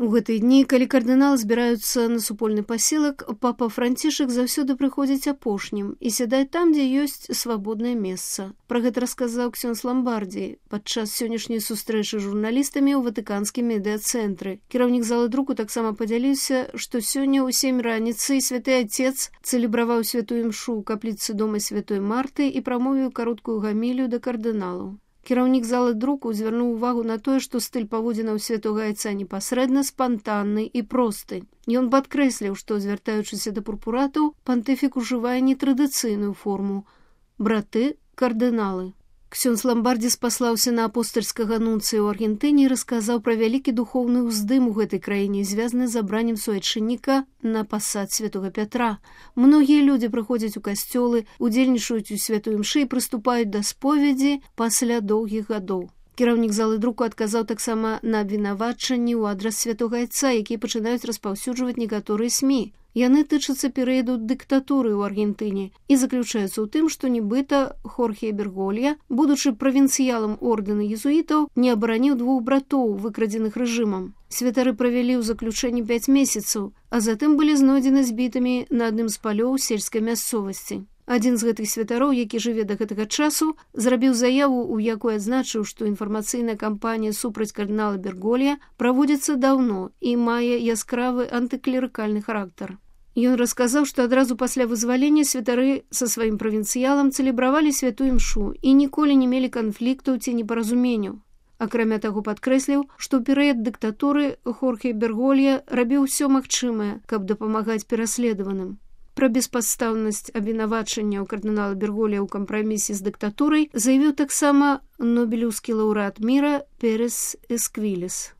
У гэтыя дні, калі кардыналы збіраюцца на супольны пасілак, папа Францішак заўсёды прыходзіць апошнім і сядае там, дзе ёсць свабоднае месца. Пра гэта расказаў ксёндз Ламбардзі падчас сённяшняй сустрэчы з журналістамі ў ватыканскім медыа-цэнтры. Кіраўнік залы друку таксама падзяліўся, што сёння ў 7 раніцы святы Отец цэлебраваў святую імшу ў капліцы дома святой Марты і прамовіў кароткую гамілію да кардыналаў. Кіраўнік залы друку звярнуў увагу на тое, што стыль паводзінаў святога Айца непасрэдна спантанны і просты. Ён падкрэсліў, што, звяртаючыся да пурпуратаў, пантыфік ужывае нетрадыцыйную форму – браты, кардыналы. Ксёндз Ламбардзі спаслаўся на апостальскага нунцыя ў Аргентыне і расказаў пра вялікі духоўны ўздым у гэтай краіне, звязаны з абраннем суайчынніка на пасад святога Пятра. Многія людзі прыходзяць у касцёлы, удзельнічаюць у святой імшы і прыступаюць да споведзі пасля доўгіх гадоў. Кіраўнік залы друку адказаў таксама на абвінавачанні ў адрас святога Айца, якія пачынаюць распаўсюджваць некаторыя СМІ. Яны тычацца перыяду дыктатуры ў Аргентыне і заключаюцца ў тым, што нібыта Хорхе Берголья, будучы правінцыялам ордэна езуітаў, не абараніў 2 братоў, выкрадзеных рэжымам. Святары правялі ў заключэнні 5 месяцаў, а затым былі знойдзены збітымі на адным з палёў сельскай мясцовасці. Адзін з гэтых святароў, які жыве да гэтага часу, зрабіў заяву, у якой адзначыў, што інфармацыйная кампанія супраць кардынала Берголья праводзіцца даўно і мае яскравы антыклерыкальны характар. Ён расказаў, што адразу пасля вызвалення святары са сваім правінцыялам цэлебравалі святую імшу і ніколі не мелі канфліктаў ці непаразуменняў. Акрамя таго, падкрэсліў, што ў перыяд дыктатуры Хорхе Берголья рабіў усё магчымае, каб дапамагаць пераследаваным. Пра беспадстаўнасць абвінавачанняў кардынала Берголья ў кампрамісе з дыктатурай заявіў таксама нобелеўскі лаўрэат міра Перес Эсквілес.